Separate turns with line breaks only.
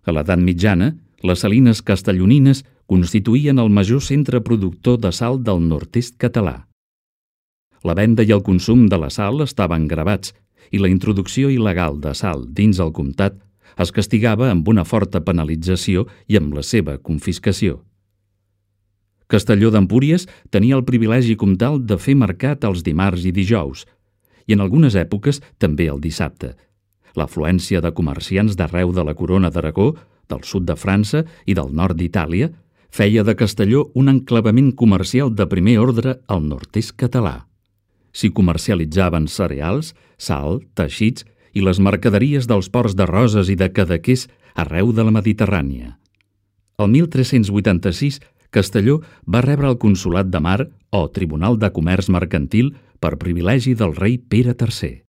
A l'edat mitjana, les salines castellonines constituïen el major centre productor de sal del nord-est català. La venda i el consum de la sal estaven gravats i la introducció il·legal de sal dins el comtat es castigava amb una forta penalització i amb la seva confiscació. Castelló d'Empúries tenia el privilegi comtal de fer mercat els dimarts i dijous, i en algunes èpoques també el dissabte. L'afluència de comerciants d'arreu de la Corona d'Aragó, del sud de França i del nord d'Itàlia feia de Castelló un enclavament comercial de primer ordre al nord-est català. S'hi comercialitzaven cereals, sal, teixits i les mercaderies dels ports de Roses i de Cadaqués arreu de la Mediterrània. El 1386, Castelló va rebre el Consolat de Mar o Tribunal de Comerç Mercantil per privilegi del rei Pere III.